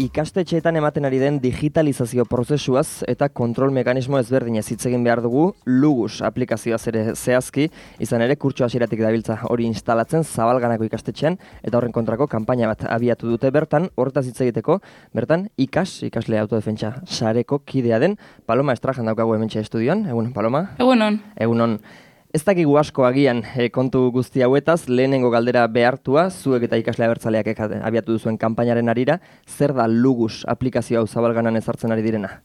Ikastetxeetan ematen ari den digitalizazio prozesuaz eta kontrol mekanismo ezberdinez hitz egin behar dugu Lugus aplikazioaz ere zehazki, izan ere kurtso hasieratik dabiltza hori instalatzen Zabalganako ikastetxean eta horren kontrako kanpaina bat abiatu dute bertan, horretaz hitz egiteko, bertan ikasle autodefentsa sareko kidea den Paloma Estrajan daukagu hementxe estudioan. Egunon, Paloma? Egunon. Egunon. Ez dakigu asko agian kontu guzti hauetaz, lehenengo galdera behartua, zuek eta ikasle abertzaleak abiatu duzuen kanpainaren arira, zer da Lugus aplikazio hau Zabalganan ezartzen ari direna?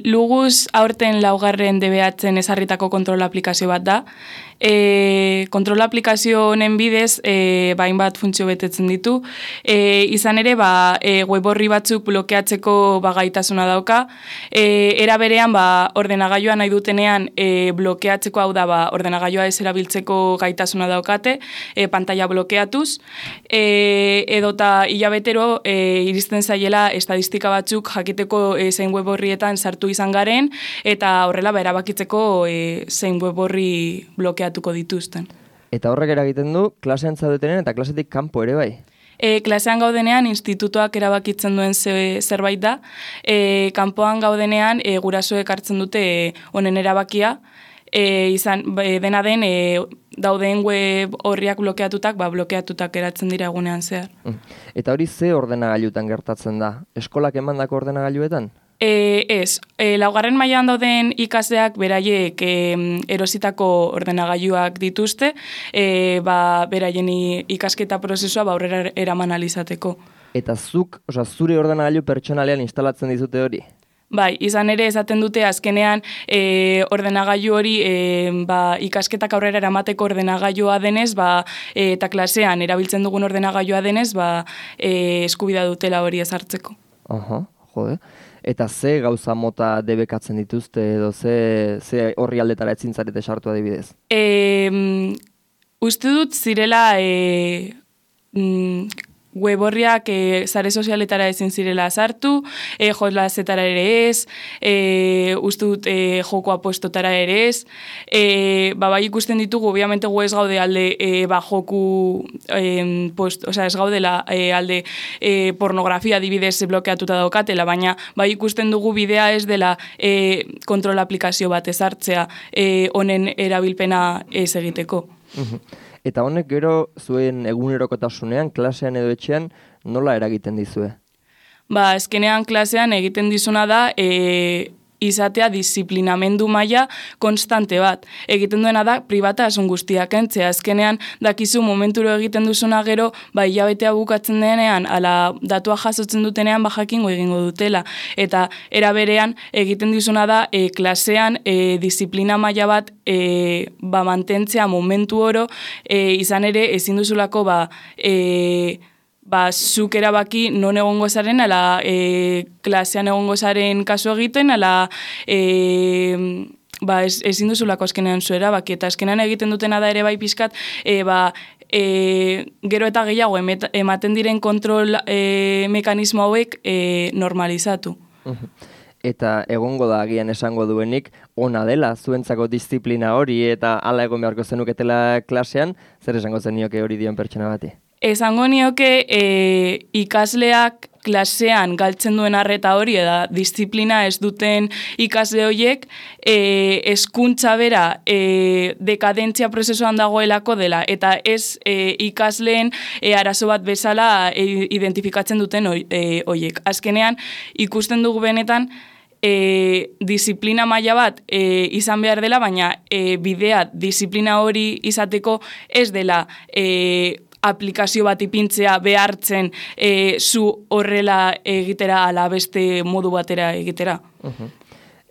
Lugus aurten laugarren DBH-en ezarritako kontrol aplikazio bat da. Kontrol aplikazio honen bidez, hainbat funtzio betetzen ditu. Izan ere, web orri batzuk blokeatzeko gaitasuna dauka. Era berean, ordenagailua nahi dutenean blokeatzeko, hau da, ordenagailua ez erabiltzeko gaitasuna daukate, pantalla blokeatuz. Edota hilabetero iristen zaiela estadistika batzuk jakiteko zein web orrietan sartu izan garen, eta horrela erabakitzeko zein web orri blokeatuko dituzten. Eta horrek eragiten du klasean zaudetenen eta klasetik kanpo ere bai? Klasean gaudenean institutoak erabakitzen duen zerbait da. Kanpoan gaudenean gurasoek hartzen dute honen erabakia. Dena den dauden web horriak blokeatutak eratzen dira egunean zehar. Eta hori ze ordenagailutan gertatzen da? Eskolak emandako ordenagailuetan? Ez, laugarren mailan dauden ikasleak beraiek erositako ordenagailuak dituzte, beraien ikasketa prozesua aurrera eraman alizateko. Eta zure ordenagailu pertsonalean instalatzen dizute hori? Bai, izan ere esaten dute azkenean ordenagailu hori ikasketak aurrera eramateko ordenagailua denez, eta klasean erabiltzen dugun ordenagailua denez, eskubidea dutela hori ezartzeko. Jode. Eta ze gauza mota debekatzen dituzte edo ze horri aldetara etzin zarete sartu adibidez? Uste dut zirela web horriak sare sozialetara ezin zirela sartu, jolasetara ere ez, uste dut joko apuestotara ere ez. Bai ikusten ditugu, obviamente gu ez gaude alde joku, ez gaudela alde pornografia adibidez blokeatuta daukatela, baina bai ikusten dugu bidea ez dela kontrol aplikazio bat ezartzea honen erabilpena ez egiteko. Eta honek gero zuen egunerokotasunean, klasean edo etxean, nola eragiten dizue? Azkenean klasean egiten dizuna da izatea disiplinamendu maila konstante bat. Egiten duena da pribatasun guztiak kentzea. Azkenean dakizu momenturo egiten duzuna gero, hilabetea bukatzen denean, ala datua jasotzen dutenean jakingo egingo dutela. Eta era berean egiten dizuna da klasean disiplina maila bat mantentzea momentu oro, izan ere ezin duzulako zuk erabaki non egongo zaren, ala klasean egongo zaren kasu egiten, ala ezin duzulako azkenean zu erabaki. Eta azkenean egiten dutena da ere bai pixkat, gero eta gehiago ematen diren kontrol mekanismo hauek normalizatu. Eta egongo da agian esango duenik, ona dela zuentzako disiplina hori eta hala egon beharko zenuketela klasean, zer esango zenioke hori dion pertsona bati? Esango nioke ikasleak klasean galtzen duen arreta hori eta disiplina ez duten ikasle horiek hezkuntza bera dekadentzia prozesuan dagoelako dela eta ez ikasleen arazo bat bezala identifikatzen duten horiek. Azkenean ikusten dugu benetan disiplina maila bat izan behar dela, baina bidea disiplina hori izateko ez dela aplikazio bat ipintzea behartzen zu horrela egitera ala beste modu batera egitera.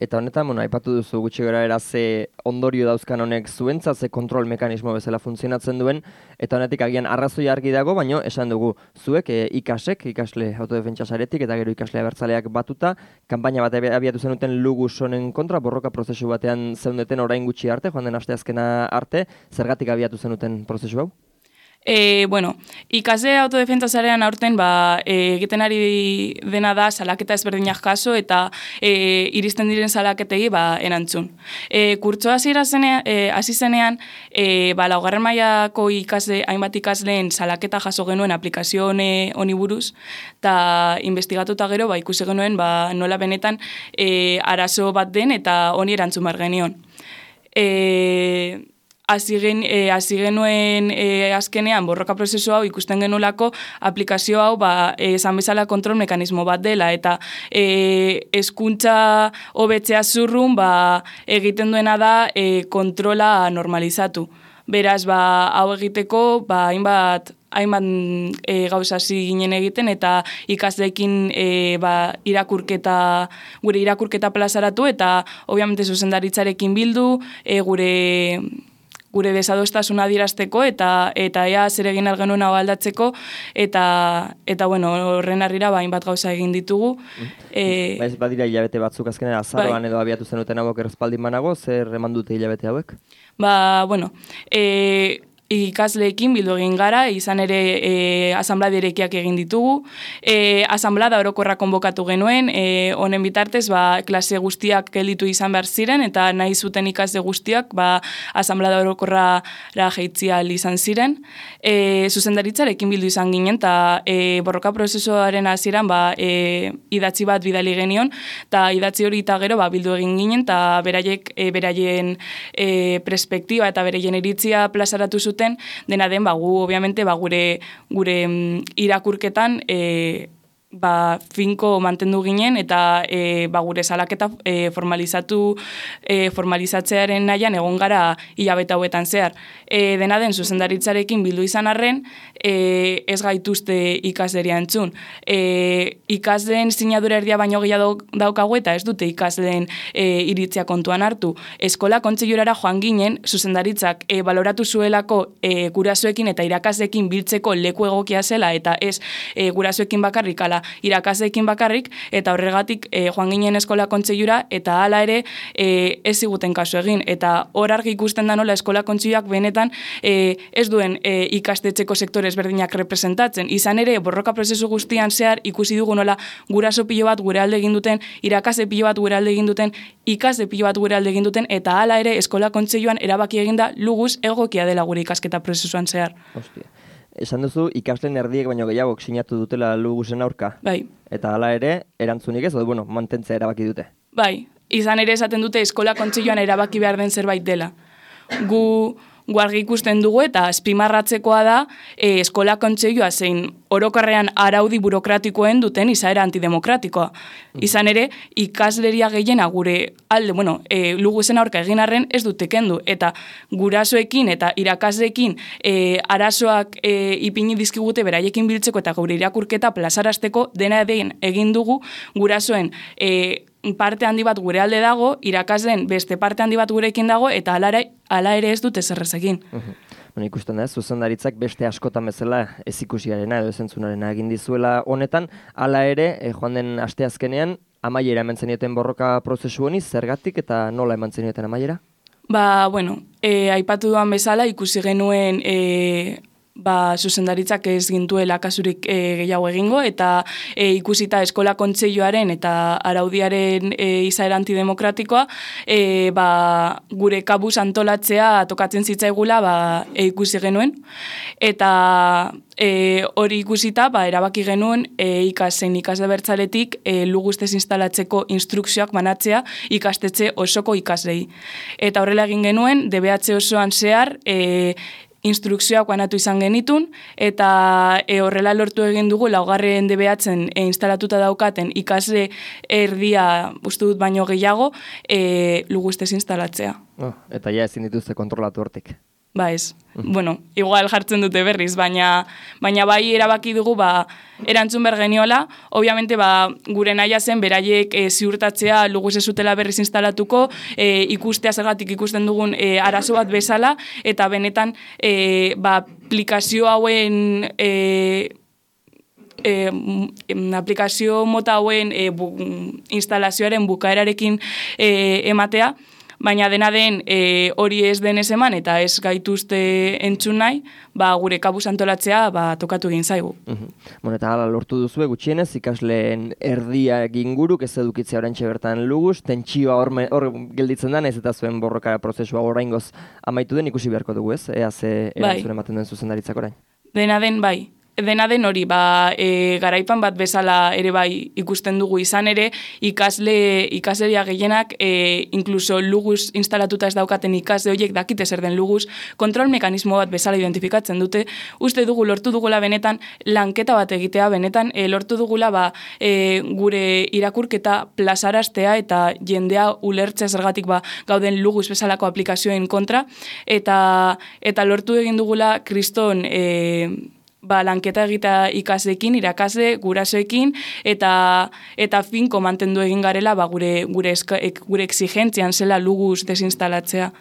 Eta honetan, aipatu duzu gutxi gorabehera ze ondorio dauzkan honek zuentzat, ze kontrol mekanismo bezala funtzionatzen duen, eta honetik agian arrazoi argi dago, baino esan dugu zuek ikasle autodefentsa saretik eta gero ikasle abertzaleak batuta, kanpaina bat abiatu zenuten Lugus honen kontra, borroka prozesu batean zeundeten orain gutxi arte, joan den asteazkena arte, zergatik abiatu zenuten prozesu hau? Bueno, ikasle autodefentsa sarean aurten egiten ari dena da salaketa ezberdinak jaso eta iristen diren salaketei erantzun. Kurtsoa hasi zenean, laugarren mailako hainbat ikasleen salaketa jaso genuen aplikazio honi buruz, eta investigatuta gero ikusi genuen nola benetan arazo bat den eta honi erantzun behar genion. Hasi genuen azkenean borroka prozesu hau ikusten genolako aplikazio hau esan bezala kontrol mekanismo bat dela eta hezkuntza hobetzea zurrun egiten duena da kontrola normalizatu. Beraz, hau egiteko hainbat gauza hasi ginen egiten eta ikasleekin gure irakurketa plazaratu eta obviamente zuzendaritzarekin bildu, gure desadostasuna adierazteko eta ea zer egin genuen hau aldatzeko eta horren harrira hainbat gauza egin ditugu. Ez badira hilabete batzuk azkenean azaroan edo abiatu zenuten hauek errespaldin banago, zer eman dute hilabete hauek? Ikasleekin bildu egin gara, izan ere asanblada irekiak egin ditugu. Asanblada orokorra konbokatu genuen, honen bitartez klase guztiak gelditu izan behar ziren, eta nahi zuten ikasle guztiak asanblada orokorra jaitzia izan ziren. Zuzendaritzarekin bildu izan ginen, eta borroka prozesuaren hasieran idatzi bat bidali genion, eta idatzi hori eta gero bildu egin ginen, eta beraien perspektiba eta beraien iritzia plazaratu zuten, dena den, gu, obviamente, gure irakurketan finko mantendu ginen eta gure salaketa formalizatzearen nahian egon gara hilabete hauetan zehar. Dena den, zuzendaritzarekin bildu izan arren, ez gaituzte ikasleria entzun. Ikasleen sinadura erdia baino gehiago daukagu eta ez dute ikasleen iritzia kontuan hartu. Eskola kontseilurara joan ginen, zuzendaritzak baloratu zuelako gurasoekin eta irakasleekin biltzeko leku egokia zela eta ez gurasoekin bakarrik ala irakasleekin bakarrik, eta horregatik joan ginen eskola kontseilura eta hala ere ez ziguten kasu egin. Eta hor argi ikusten da nola eskola kontseiluak benetan ez duen ikastetxeko sektore ezberdinak representatzen. Izan ere, borroka prozesu guztian zehar ikusi dugu nola guraso pilo bat gure alde egin duten, irakasle pilo bat gure alde egin duten, ikasle pilo bat gure alde egin duten, eta hala ere eskola kontseiluan erabaki eginda luguz egokia dela gure ikasketa prozesuan zehar. Hostia. Esan duzu, ikasleen erdiek baino gehiagok sinatu dutela luguzen aurka. Bai. Eta hala ere, erantzunik ez, mantentzea erabaki dute. Bai, izan ere esaten dute eskola kontseiluan erabaki behar den zerbait dela. Gu argi ikusten dugu eta azpimarratzekoa da eskola kontseilua zein orokorrean araudi burokratikoen duten izaera antidemokratikoa. Izan ere, ikasleria gehiena gure alde, luguzen aurka egin arren ez dute kendu. Eta gurasoekin eta irakasleekin arazoak ipini dizkigute beraiekin biltzeko eta gure irakurketa plazarazteko dena egin dugu gurasoen parte handi bat gure alde dago, irakasleen beste parte handi bat gurekin dago, eta hala ere ez dute zerrez egin. Ikusten da, zuzendaritzak beste askotan bezala ez ikusiarena edo ez entzunarena egin dizuela honetan, hala ere, joan den asteazkenean, amaiera eman zenioten borroka prozesu honi, zergatik eta nola eman zenioten amaiera? Aipatu duan bezala, ikusi genuen zuzendaritzak ez gintuela kasurik gehiago egingo, eta ikusita eskola kontseiluaren eta araudiaren izaera antidemokratikoa, gure kabuz antolatzea tokatzen zitzaigula ikusi genuen, eta hori ikusita erabaki genuen ikasle bertzaletik lugustez instalatzeko instrukzioak banatzea ikastetxe osoko ikaslei. Eta horrela egin genuen, DBH osoan zehar instrukzioak banatu izan genitun, eta horrela lortu egin dugu laugarren DBH-en instalatuta daukaten ikasle erdia uste dut baino gehiago lugustez instalatzea. Eta ja ezin dituzte kontrolatu hortik. Ez. Igual jartzen dute berriz, baina bai erabaki dugu erantzun behar geniola. Obviamente gure nahia zen beraiek ziurtatzea luguz ez zutela berriz instalatuko, ikustea zergatik ikusten dugun arazo bat bezala, eta benetan aplikazio hauen aplikazio mota hauen instalazioaren bukaerarekin ematea, baina dena den hori ez denez eman eta ez gaituzte entzun nahi, gure kabuz antolatzea tokatu egin zaigu. Bueno, eta hala lortu duzue gutxienez, ikasleen erdia inguruk ez edukitzea oraintxe bertan Lugus, tentsioa hor gelditzen da, nahiz eta zuen borroka prozesua oraingoz amaitu den ikusi beharko dugu, ez? Ea ze erantzun ematen duen zuzendaritzak orain. Dena den hori, garaipan bat bezala ere ikusten dugu izan ere, ikasleria gehienak, inkluso Lugus instalatuta ez daukaten ikasle horiek dakite zer den Lugus, kontrol mekanismo bat bezala identifikatzen dute, uste dugu lortu dugula benetan lanketa bat egitea, benetan lortu dugula gure irakurketa plazaraztea eta jendea ulertzea zergatik gauden Lugus bezalako aplikazioen kontra, eta lortu egin dugula kriston lanketa egita ikasleekin, irakasle, gurasoekin, eta finko mantendu egin garela gure exigentzian zela Lugus desinstalatzea.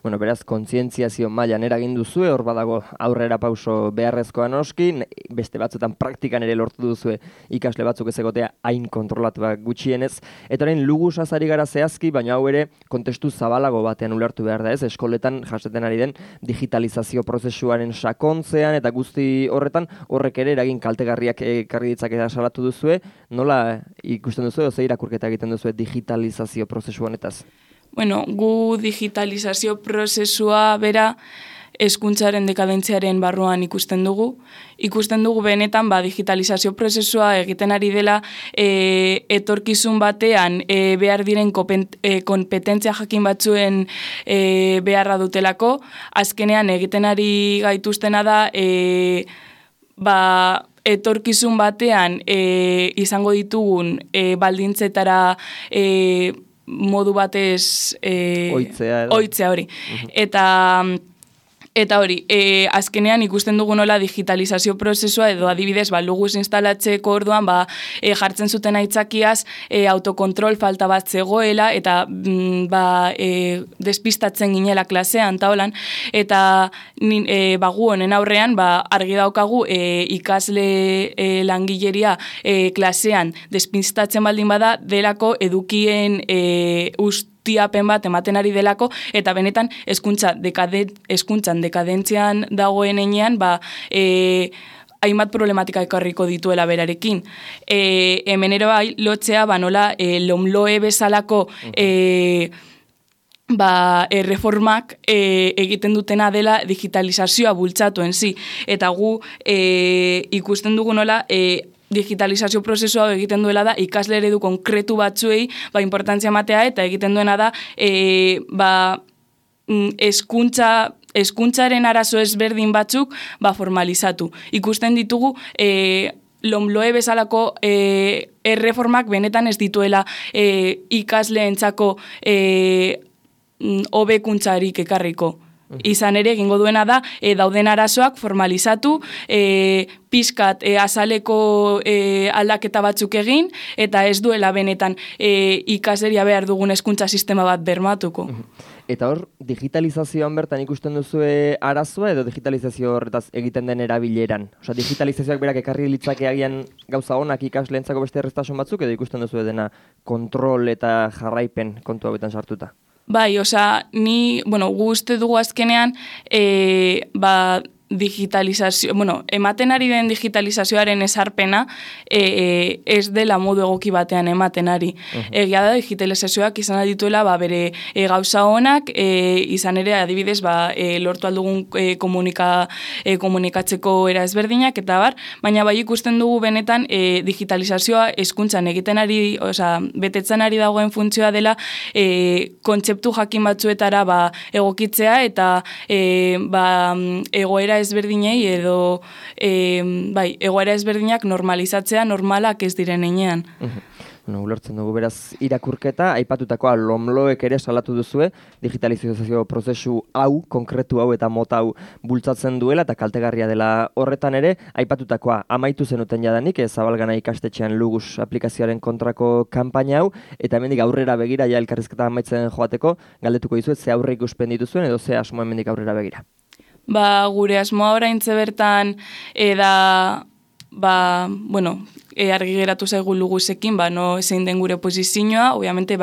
Bueno, beraz, kontzientziazio mailan eragin duzue, hor badago aurrera pauso beharrezkoa noski, beste batzuetan praktikan ere lortu duzue ikasle batzuk ez egotea hain kontrolatuak gutxienez. Eta orain Lugusaz ari gara zehazki, baina hau ere kontestu zabalago batean ulertu behar da ez, eskoletan jasaten ari den digitalizazio prozesuaren sakontzean eta guzti horretan horrek ere eragin kaltegarriak ekarri ditzakela salatu duzue, nola ikusten duzue, ze irakurketa egiten duzue digitalizazio prozesu honetaz? Bueno, gu digitalizazio prozesua bera hezkuntzaren dekadentziaren barruan ikusten dugu. Ikusten dugu benetan digitalizazio prozesua egiten ari dela etorkizun batean behar diren kompetentzia jakin batzuen beharra dutelako. Azkenean egiten ari gaituztena da etorkizun batean izango ditugun baldintzetara modu batez oitzea hori. Eta hori, azkenean ikusten dugu nola digitalizazio prozesua edo adibidez Lugus instalatzeko orduan jartzen zuten aitzakiaz autokontrol falta bat zegoela eta despistatzen ginela klasean taolan eta gu honen aurrean argi daukagu ikasle langileria klasean despistatzen baldin bada delako edukien tiapen bat ematen ari delako, eta benetan hezkuntzan dekadentzian dagoen enean, hainbat problematika ekarriko dituela berarekin. Hemen ere lotzea, nola LOMLOE bezalako erreformak egiten dutena dela digitalizazioa bultzatu enzi. Eta gu ikusten dugu nola digitalizazio prozesua egiten duela da ikasle eredu konkretu batzuei importantzia ematea eta egiten duena da hezkuntzaren arazo ezberdin batzuk formalizatu. Ikusten ditugu LOMLOE bezalako erreformak benetan ez dituela ikasleentzako hobekuntzarik ekarriko. Izan ere, egingo duena da, dauden arazoak formalizatu, pixkat azaleko aldaketa batzuk egin, eta ez duela benetan ikasleria behar dugun hezkuntza sistema bat bermatuko. Eta hor, digitalizazioan bertan ikusten duzue arazoa edo digitalizazio horretaz egiten den erabileran? Osa, digitalizazioak berak ekarri litzake agian gauza honak ikasleentzako beste erreztasun batzuk edo ikusten duzue dena kontrol eta jarraipen kontu hauetan sartuta? Bai, gu uste dugu azkenean, digitalizazio, ematen ari den digitalizazioaren ezarpena ez dela modu egoki batean ematen ari. Egia da digitalizazioak izan dituela bere gauza honak, izan ere adibidez lortu aldugun komunikatzeko era ezberdinak eta baina ikusten dugu benetan digitalizazioa hezkuntzan egiten ari, betetzen ari dagoen funtzioa dela kontzeptu jakin batzuetara egokitzea eta egoera ezberdinei edo egoera ezberdinak normalizatzea normalak ez diren heinean. Ulertzen dugu beraz irakurketa, aipatutakoa LOMLOek ere salatu duzue, digitalizazio prozesu hau, konkretu hau eta mota hau bultzatzen duela eta kaltegarria dela horretan ere, aipatutakoa amaitu zenuten jadanik, Zabalgana ikastetxean Lugus aplikazioaren kontrako kanpaina hau, eta hemendik aurrera begira, elkarrizketa amaitzen joateko, galdetuko dizuet, ze aurre ikuspen dituzuen edo ze asmoa hemendik aurrera begira? Gure asmoa oraintze bertan argi geratu zaigu lugusekin, no zein den gure posizioa, obviamente,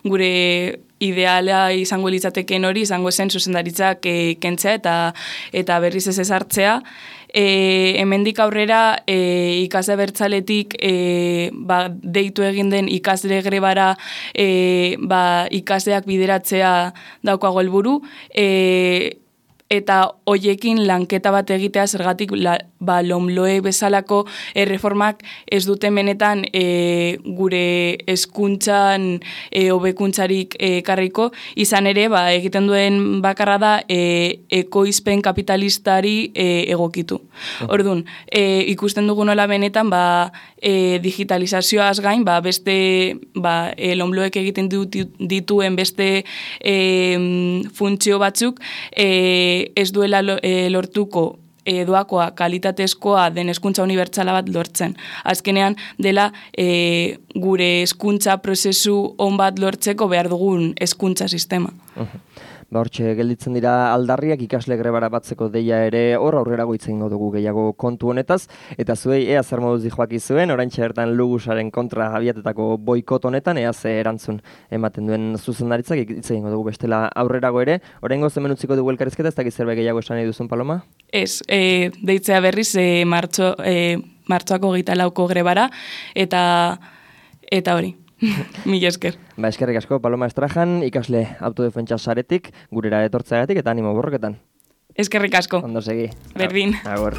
gure ideala izango litzateken hori, izango zen zuzendaritzak kentzea eta berriz ez ezartzea. Hemendik aurrera ikasle abertzaletik deitu egin den ikasle grebara ikasleak bideratzea daukago helburu, eta hoiekin lanketa bat egitea zergatik LOMLOE bezalako erreformak ez dute benetan gure hezkuntzan hobekuntzarik ekarriko, izan ere egiten duen bakarra da ekoizpen kapitalistari egokitu. Orduan, ikusten dugu nola benetan digitalizazioaz gain, beste LOMLOEk egiten dituen beste funtzio batzuk ez duela lortuko doakoa, kalitatezkoa den hezkuntza unibertsala bat lortzen. Azkenean dela gure hezkuntza prozesu on bat lortzeko behar dugun hezkuntza sistema. Hortxe gelditzen dira aldarriak ikasle grebara batzeko deia ere hor aurrerago hitz egingo dugu gehiago kontu honetaz, eta zuei ea zer moduz dijoaki zuen, oraintxe bertan Lugusaren kontra abiatetako boikot honetan, ea ze erantzun ematen duen zuzendaritzak hitz egingo dugu bestela aurrerago ere. Oraingoz hemen utziko dugu elkarrizketa, ez dakit zerbait gehiago esan nahi duzun, Paloma? Ez, deitzea berriz martxoako 24ko grebara, eta hori. Mila esker. Eskerrik asko, Paloma Estrajan, ikasle autodefentsa saretik, gurera etortzeagatik eta animo borroketan. Eskerrik asko. Ondo segi. Berdin. Agur.